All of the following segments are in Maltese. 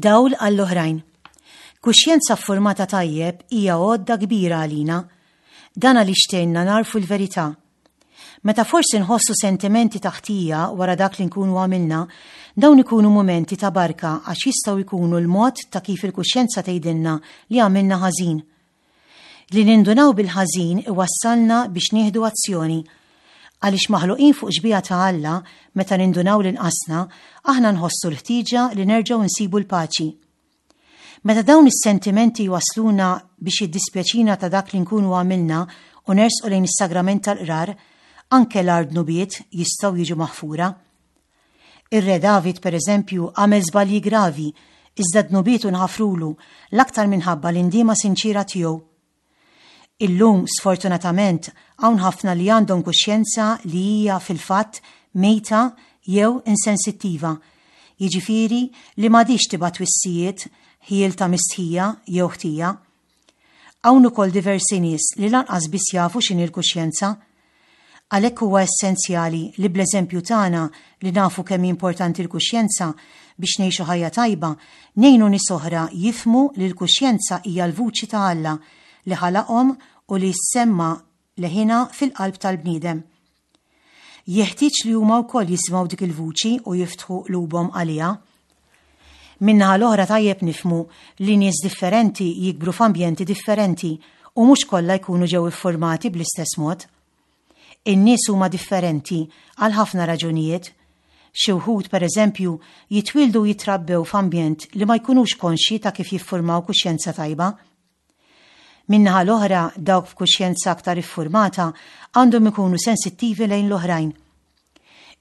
Dawl għall-oħrajn. Kuxjenza ffurmata tajjeb hija għodda kbira għalina. Dan għaliex tgħinna nagħrfu l-verità. Meta forsi nħossu sentimenti ta' ħtija wara dak li nkunu għamilna, dawn ikunu mumenti ta' barka għax jistgħu jkunu l-mod ta' kif il-kuxjenza tgħidilna li għamilna ħażin. Li nindunaw bil-ħażin iwassalna biex nieħdu azzjoni. Għaliex maħluqin fuq xbieha ta' Alla, meta nindunaw li nqasna, aħna nħossu l-ħtieġa li nerġgħu nsibu l-paċi. Meta dawn is-sentimenti jwassluna biex jiddispjaċina ta' dak li nkunu għamilna u nersqu lejn is-sagrament tal-qrar, anke l-agħar dnubiet jistgħu jiġu maħfura. Ir-Re David, per eżempju, għamel żbalji gravi, iżda dnubietu nħafrulu, l-aktar minħabba l-indiema sinċiera tiegħu. Illum, sfortunatament, hawn ħafna li għandhom kuxjenza li hija fil-fatt mejta jew insensittiva, jiġifieri li m'għadhiex tibgħat twissijiet, ħjiel ta' mistħija jew ħtija. Hawn ukoll diversi nies li lanqas biss jafu x'inhi l-kuxjenza. Għalhekk huwa essenzjali li bl-eżempju tagħna li nafu kemm hi importanti l-kuxjenza biex ngħixu ħajja tajba, ngħinu nies oħra jifhmu li l-kuxjenza hija l-vuċi ta' Alla li ħalaqhom u li ssemma' leħinha fil-qalb tal-bniedem. Jeħtieġ li huma wkoll jisimgħu dik il-vuċi u jiftħu qlubhom għaliha. Min-naħa l-oħra tajjeb nifhmu li nies differenti jikbru f'ambjenti differenti u mhux kollha jkunu ġew iffurmati bl-istess mod. In-nies huma differenti għal ħafna raġunijiet. Xi wħud, per eżempju, jitwieldu u jitrabbew f'ambjent li ma jkunux konxji ta' kif jiffurmaw kuxjenza tajba. Min-naħa l-oħra, dawk b'kuxjenza aktar iffurmata għandhom ikunu sensittivi lejn l-oħrajn.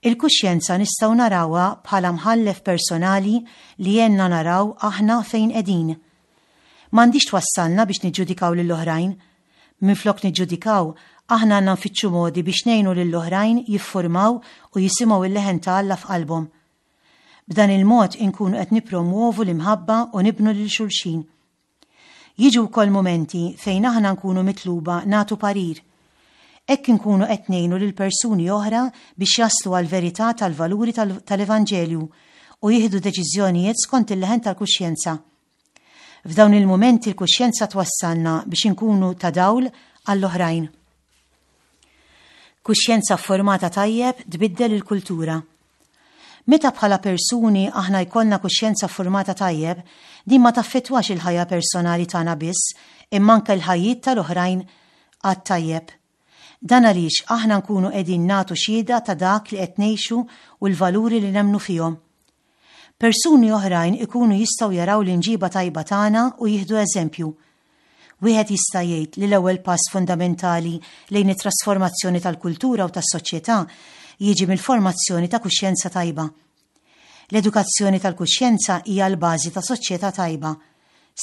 Il-kuxjenza nistgħu narawha bħala mħallef personali li jgħinna naraw aħna fejn qegħdin. M'għandhiex twassalna biex niġġudikaw lill-oħrajn. Minflok niġġudikaw, aħna għandna nfittxu modi biex ngħinu lill-oħrajn jiffurmaw u jisimgħu l-leħen ta' Alla f'qalbhom. B'dan il-mod inkunu qed nippromwovu l-imħabba u nibnu lil xulxin. Jiġu wkoll mumenti fejn aħna nkunu mitluba nagħtu parir. Hekk inkunu qed ngħinu lil persuni oħra biex jaslu għall-verità tal-valuri tal-Evanġelju u jieħdu deċiżjonijiet skont il-leħen tal-kuxjenza. F'dawn il-mumenti l-kuxjenza twassalna biex inkunu ta' dawl għall-oħrajn. Kuxjenza fformata tajjeb tbiddel il-kultura. Meta bħala persuni aħna jkollna kuxjenza ffurmata tajjeb, din ma taffettwax il-ħajja personali tagħna biss, imma anke l-ħajjiet tal-oħrajn għat-tajjeb. Dan għaliex aħna nkunu qegħdin nagħtu xhieda ta' dak li qed ngħixu u l-valuri li nemmnu fihom. Persuni oħrajn ikunu jistgħu jaraw l-imġiba tajba tagħna u jieħdu eżempju. Wieħed jista' jgħid li l-ewwel pass fundamentali lejn it-trasformazzjoni tal-kultura u tas-soċjetà jiġi mill-formazzjoni ta' kuxjenza tajba. L-edukazzjoni tal-kuxjenza hija l-bażi ta' soċjetà tajba,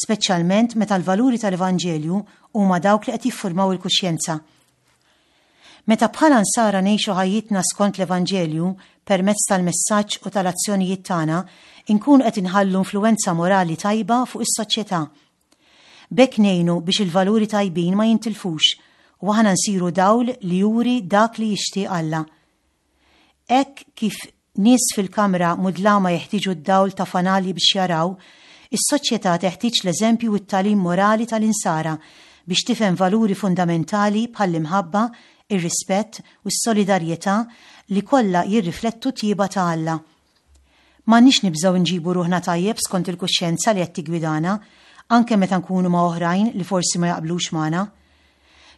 speċjalment meta l-valuri tal-Evanġelju huma dawk li qed jiffurmaw il-kuxjenza. Meta bħala Nsara ngħixu ħajjitna skont l-Evanġelju permezz tal-messaġġ u tal-azzjonijiet tagħna, inkunu qed inħallu influwenza morali tajba fuq is-soċjetà. B'hekk ngħinu biex il-valuri tajbin ma jintilfux u aħna nsiru dawl li juri dak li jixtieq Alla. Hekk kif nies fil-kamra mudlama jeħtieġu d-dawl ta' fanali biex jaraw, is-soċjetà teħtieġ l-eżempju u t-tagħlim morali tal-Insara biex tifhem valuri fundamentali bħall-imħabba, ir-rispett u s-solidarjetà li kollha jirriflettu t-tjieba ta' Alla. M'għandniex nibżgħu nġibu ruħna tajjeb skont il-kuxjenza li qed tiggwidana, anke meta nkunu ma' oħrajn li forsi ma jaqblux magħna.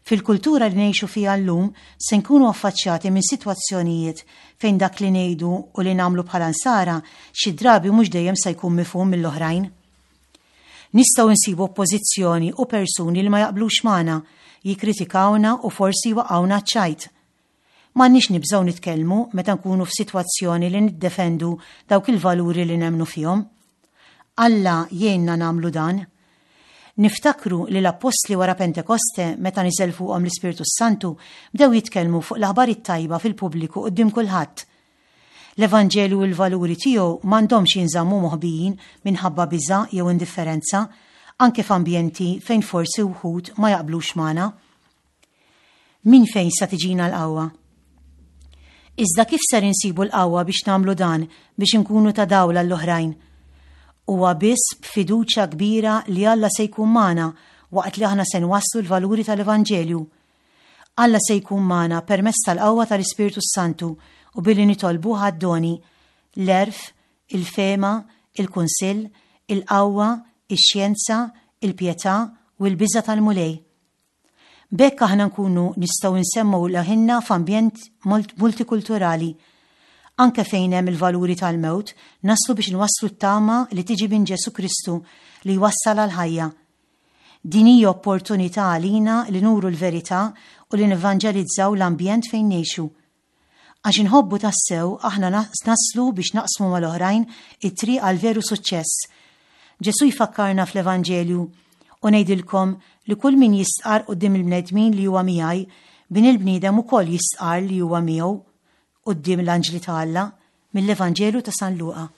Fil-kultura li ngħixu fiha llum se nkunu affaċċjati minn sitwazzjonijiet fejn dak li ngħidu u li nagħmlu bħala Nsara xi drabi mhux dejjem se jkun mifhum mill-oħrajn. Nistgħu nsibu oppożizzjoni u persuni li ma jaqblux magħna, jikkritikawna u forsi jwaqqgħuna għaċ-ċajt. M'għandniex nibżgħu nitkellmu meta nkunu f'sitwazzjoni li niddefendu dawk il-valuri li nemmnu fihom. Alla jgħinna nagħmlu dan. Niftakru li l-appostli wara Pentekoste, meta niżel fuqhom l-Ispirtu s-Santu, bdew jitkellmu fuq l-aħbar it-tajba fil-pubbliku quddiem kulħadd. L-Evanġelju u l-valuri tiegħu m'għandhomx jinżammu moħbijin minħabba biża' jew indifferenza, anke f'ambjenti fejn forsi wħud ma jaqblux magħna. Minn fejn sa tiġina l-qawwa? Iżda kif ser insibu l-qawwa biex nagħmlu dan biex inkunu ta' dawl għall-oħrajn? Huwa biss b'fiduċja kbira li Alla se jkun magħna waqt li aħna se nwasslu l-valuri tal-Evanġelju. Alla se jkun magħna permezz tal-qawwa tal-Ispirtu s-Santu u billi nitolbuh għad-doni, l-għerf, il-fehma, il-kunsill, il-qawwa, ix-xjenza, il-pjetà u l-biża' tal-Mulej. B'hekk aħna nkunu nistgħu nsemmgħu leħinna f'ambjent multikulturali. Anke fejn hemm il-valuri tal-mewt, naslu biex nwasslu t-tama li tiġi minn Ġesù Kristu li jwassal għall-ħajja. Din hija opportunità għalina li nuru l-verità u li nevanġelizzaw l-ambjent fejn ngħixu. Għax inħobbu tassew aħna naslu biex naqsmu mal-oħrajn it-triq għal veru suċċess. Ġesù jfakkarna fl-Evanġelju, U ngħidilkom li kull min jistqarr quddiem il-bnedmin li huwa miegħi, Bin il-bniedem ukoll jistqarr li huwa miegħu quddiem l-anġli ta' Alla, mill-Evanġelju ta' San Luqa.